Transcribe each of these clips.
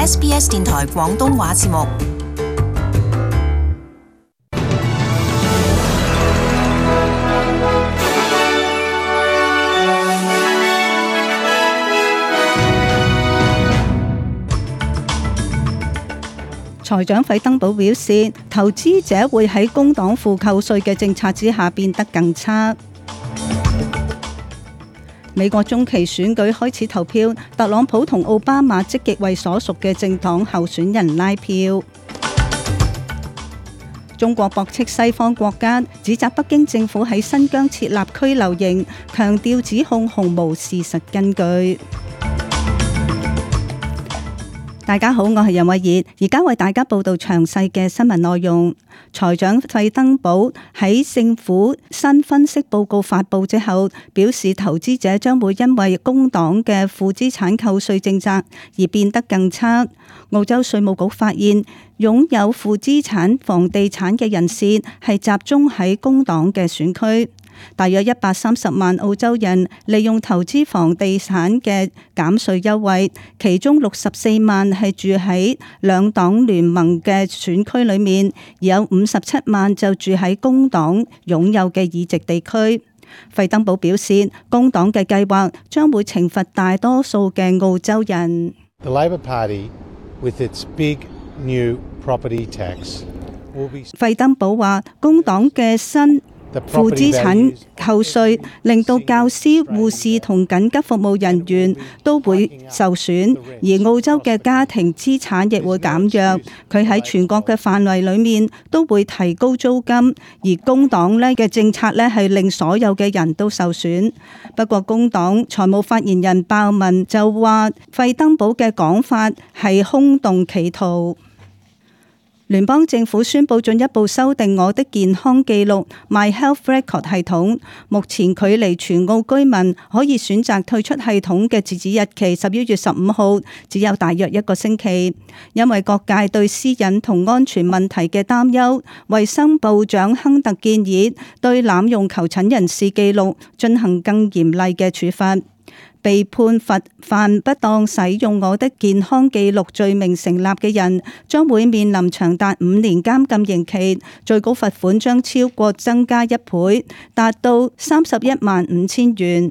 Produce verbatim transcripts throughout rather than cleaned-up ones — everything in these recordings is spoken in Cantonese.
S B S 電台廣東話節目。財長費登堡表示，投資者會喺工黨負扣稅嘅政策之下變得更差。美國中期選舉開始投票，特朗普同奧巴馬積極為所屬嘅政黨候選人拉票。中國駁斥西方國家，指責北京政府喺新疆設立拘留營，強調指控毫無事實根據。大家好，我係任慧儀，而家為大家報道詳細嘅新聞內容。財長費登堡喺政府新分析報告發佈之後，表示投資者將會因為工黨嘅負資產扣稅政策而變得更差。澳洲稅務局發現，擁有負資產房地產嘅人士係集中喺工黨嘅選區。大約一百三十萬澳洲人利用投資房地產嘅減稅優惠，其中六十四萬係住喺兩黨聯盟嘅選區裏面，而有五十七萬就住喺工黨擁有嘅議席地區。費登堡表示，工黨嘅計劃將會懲罰大多數嘅澳洲人。The Labor Party, with its big new property tax, will be... 費登堡話，工黨嘅新負資產扣稅令到教師、護士同緊急服務人員都會受損，而澳洲嘅家庭資產亦會減弱。佢喺全國嘅範圍裏面都會提高租金，而工黨呢嘅政策呢係令所有嘅人都受損。不過工黨財務發言人鮑文就話，費登堡嘅講法係空洞企圖。聯邦政府宣布進一步修訂我的健康記錄 My Health Record 系統，目前距離全澳居民可以選擇退出系統嘅截止日期十一月十五號只有大約一個星期。因為各界對私隱同安全問題嘅擔憂，衛生部長亨特建議對濫用求診人士記錄進行更嚴厲嘅處罰。被判罰犯不當使用我的健康記錄罪名成立嘅人，將會面臨長達五年監禁刑期，最高罰款將超過增加一倍，達到三十一萬五千元。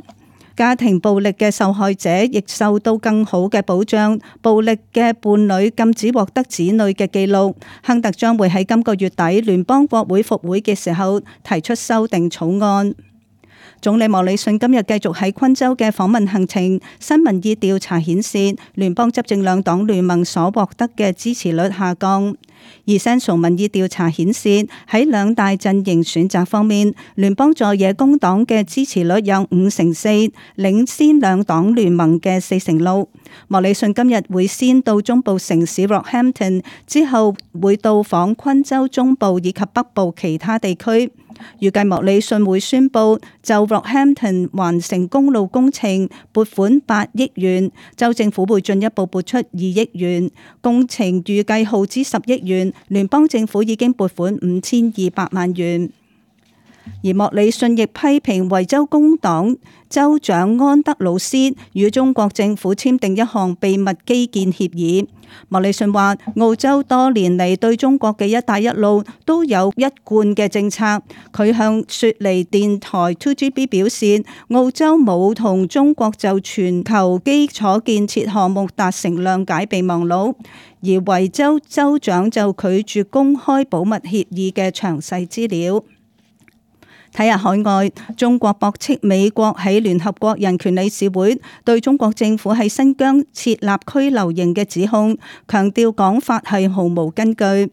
家庭暴力嘅受害者亦受到更好嘅保障，暴力嘅伴侶禁止獲得子女嘅記錄。亨特將會喺今個月底聯邦國會復會嘅時候提出修訂草案。總理莫里遜今日繼續喺昆州嘅訪問行程。新民意調查顯示，聯邦執政兩黨聯盟所獲得嘅支持率下降。而 Central 民意調查顯示，喺兩大陣營選擇方面，聯邦在野工黨嘅支持率有五成四，領先兩黨聯盟嘅四成六。莫里遜今日會先到中部城市 Rockhampton， 之後會到訪昆州中部以及北部其他地區。預計莫里遜會宣布就 Rockhampton 環城公路工程撥款八億元，州政府會進一步撥出二億元，工程預計耗資十億元，聯邦政府已經撥款五千二百萬元。而莫里遜亦批評維州工黨州長安德魯斯與中國政府簽訂一項秘密基建協議。莫里遜話，澳洲多年嚟對中國嘅一帶一路都有一貫嘅政策。佢向雪梨電台 two G B 表示，澳洲冇同中國就全球基礎建設項目達成諒解備忘錄，而維州州長就拒絕公開保密協議嘅詳細資料。睇下海外，中國駁斥美國喺聯合國人權理事會對中國政府喺新疆設立拘留營嘅指控，強調講法係毫無根據。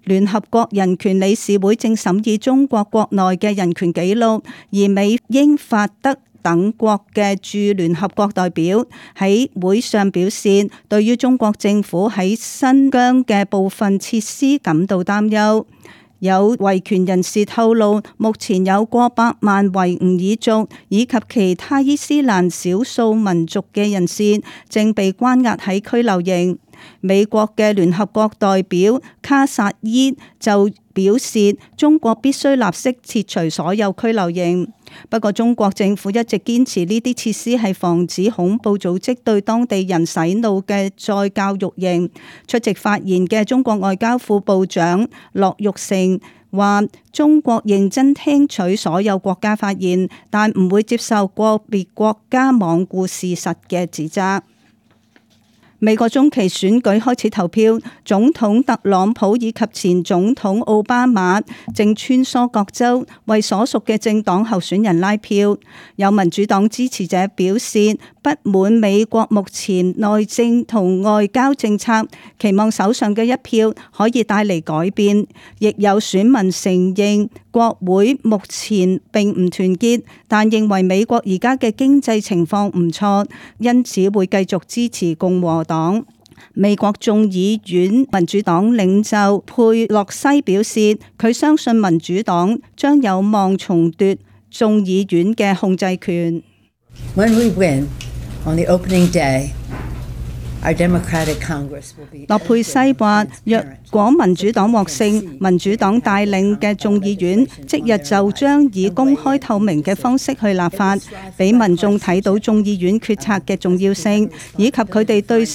聯合國人權理事會正審議中國國內嘅人權紀錄，而美、英、法、德等國嘅駐聯合國代表喺會上表示，對於中國政府喺新疆嘅部分設施感到擔憂。有維權人士透露，目前有過百萬維吾爾族以及其他伊斯蘭少數民族嘅人士正被關押喺拘留營。美國嘅聯合國代表卡薩伊就表示，中國必須立即撤除所有拘留營。不過中國政府一直堅持呢啲設施係防止恐怖組織對當地人洗腦嘅再教育營。出席發言嘅中國外交副部長駱玉成話：中國認真聽取所有國家發言，但唔會接受個別國家罔顧事實嘅指責。美國中期選舉開始投票，總統特朗普以及前總統奧巴馬正穿梭各州，為所屬嘅政黨候選人拉票。有民主黨支持者表示不滿美國目前內政同外交政策，期望手上嘅一票可以帶嚟改變。亦有選民承認國會目前並唔團結，但認為美國而家嘅經濟情況唔錯，因此會繼續支持共和黨。美國眾議院民主黨領袖佩洛西表示，佢相信民主黨將有望重奪眾議院嘅控制權。When we win on the opening day, our democratic Congress will be. 洛佩西話：若果民主黨獲勝，民主黨帶領嘅眾議院即日就將以公開透明嘅方式去立法，俾民眾睇到眾議院決策嘅重要性，以及佢哋對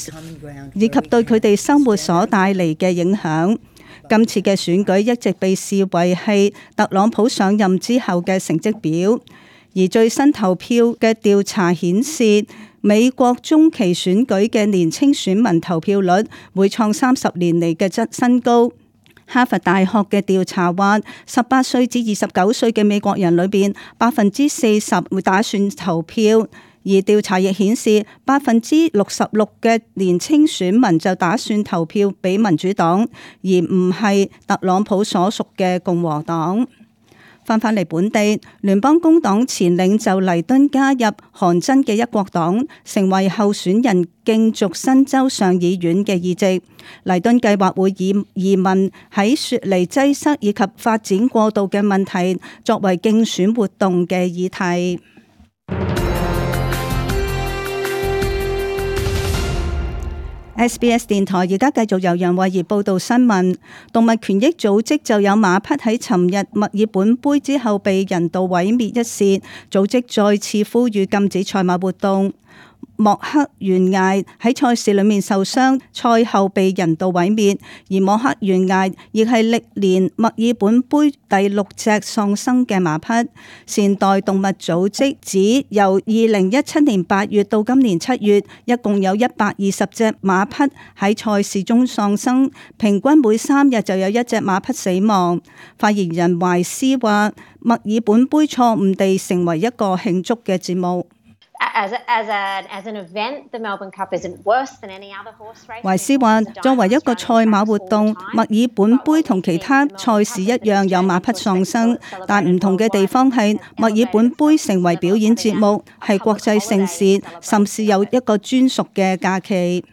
以及對佢哋生活所帶嚟嘅影響。今次嘅選舉一直被視為係特朗普上任之後嘅成績表，而最新投票嘅調查顯示，美國中期選舉嘅年輕選民投票率會創三十年嚟嘅質新高。哈佛大學嘅調查話，十八歲至二十九歲嘅美國人裏邊，百分之四十會打算投票。而調查亦顯示，百分之六十六嘅年輕選民就打算投票俾民主黨，而唔係特朗普所屬嘅共和黨。翻返嚟本地，聯邦工黨前領袖黎敦加入韓真嘅一國黨，成為候選人競逐新州上議院嘅議席。黎敦計劃會以移民喺雪梨擠塞以及發展過度嘅問題作為競選活動嘅議題。S B S 電台而家繼續由楊慧儀報道新聞。動物權益組織就有馬匹喺尋日墨爾本杯之後被人道毀滅一事，組織再次呼籲禁止賽馬活動。莫克懸崖喺賽事裏面受傷，賽後被人道毀滅，而莫克懸崖亦係歷年墨爾本杯第六隻喪生嘅馬匹。善待動物組織指，由二零一七年八月到今年七月，一共有一百二十隻馬匹喺賽事中喪生，平均每三日就有一隻馬匹死亡。發言人懷斯話，墨爾本杯錯誤地成為一個慶祝嘅節目。懷斯話：作為一個賽馬活動，墨爾本杯同其他賽事一樣有馬匹喪生，但唔同嘅地方係墨爾本杯成為表演節目，係國際盛事，甚至有一個專屬嘅假期。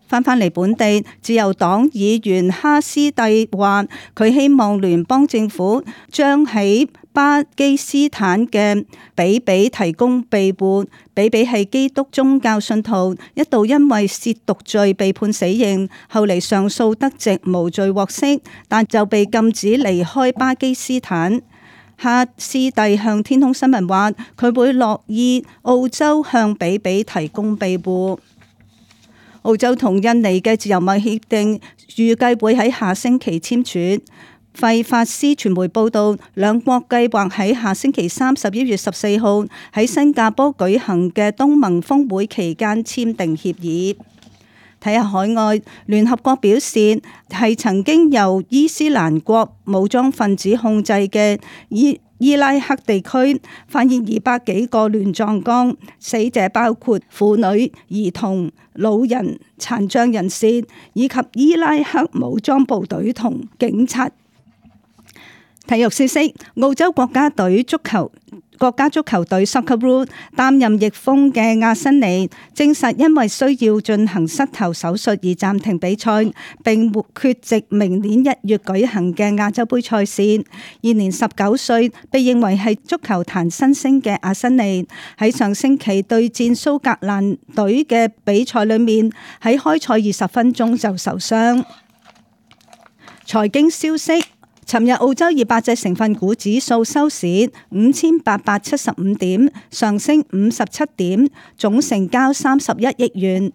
翻返嚟本地，自由黨議員哈斯蒂話：佢希望聯邦政府將喺巴基斯坦嘅比比提供庇護。比比係基督宗教信徒，一度因為褻瀆罪被判死刑，後嚟上訴得直，無罪獲釋，但就被禁止離開巴基斯坦。哈斯蒂向天空新聞話：佢會樂意澳洲向比比提供庇護。澳洲同印尼嘅自由貿易協定預計會喺下星期簽署。費法斯傳媒報道，兩國計劃喺下星期三十一月十四號喺新加坡舉行嘅東盟峰會期間簽訂協議。睇下海外，聯合國表示係曾經由伊斯蘭國武裝分子控制嘅伊伊拉克地區發現二百幾個亂葬崗，死者包括婦女、兒童、老人、殘障人士以及伊拉克武裝部隊同警察。體育消息：澳洲國家隊足球國家足球隊 Socceroo 擔任翼鋒嘅阿辛尼證實，因為需要進行膝頭手術而暫停比賽，並缺席明年一月舉行嘅亞洲盃賽事。現年十九歲，被認為係足球壇新星嘅阿辛尼喺上星期對戰蘇格蘭隊嘅比賽裏面，喺開賽二十分鐘就受傷。財經消息。尋日澳洲二百隻成分股指數收市五千八百七十五點，上升五十七點，總成交三十一億元。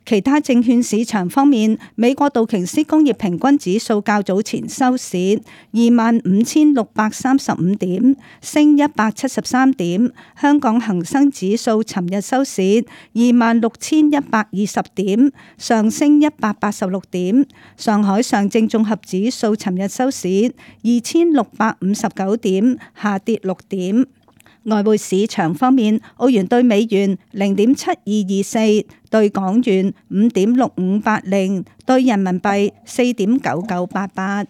其他證券市場方面，美國道瓊斯工業平均指數較早前收市二萬五千六百三十五點，升一百七十三點。香港恒生指數尋日收市二萬六千一百二十點，上升一百八十六點。上海上證綜合指數尋日收市二千六百五十九點，下跌六點。外匯市場方面，澳元兌美元零點七二二四，兌港元五點六五八零，兌人民幣四點九九八八。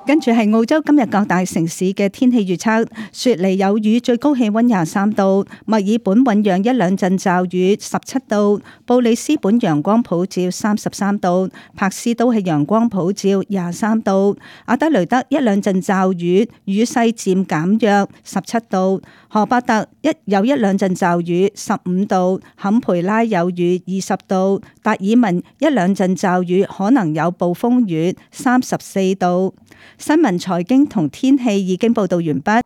跟住係澳洲今日各大城市嘅天氣預測：雪梨有雨，最高氣溫廿三度；墨爾本醞釀一兩陣驟雨，十七度；布里斯本陽光普照，三十三度；柏斯都係陽光普照，廿三度；阿德雷德一兩陣驟雨，雨勢漸減弱，十七度；荷伯特一有一兩陣驟雨，十五度；坎培拉有雨，二十度；達爾文一兩陣驟雨，可能有暴風雨，三十四度。新聞、財經同天氣已經報道完畢。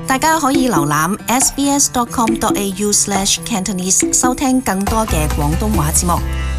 大家可以瀏覽 s b s dot com dot a u slash cantonese 收聽更多嘅廣東話節目。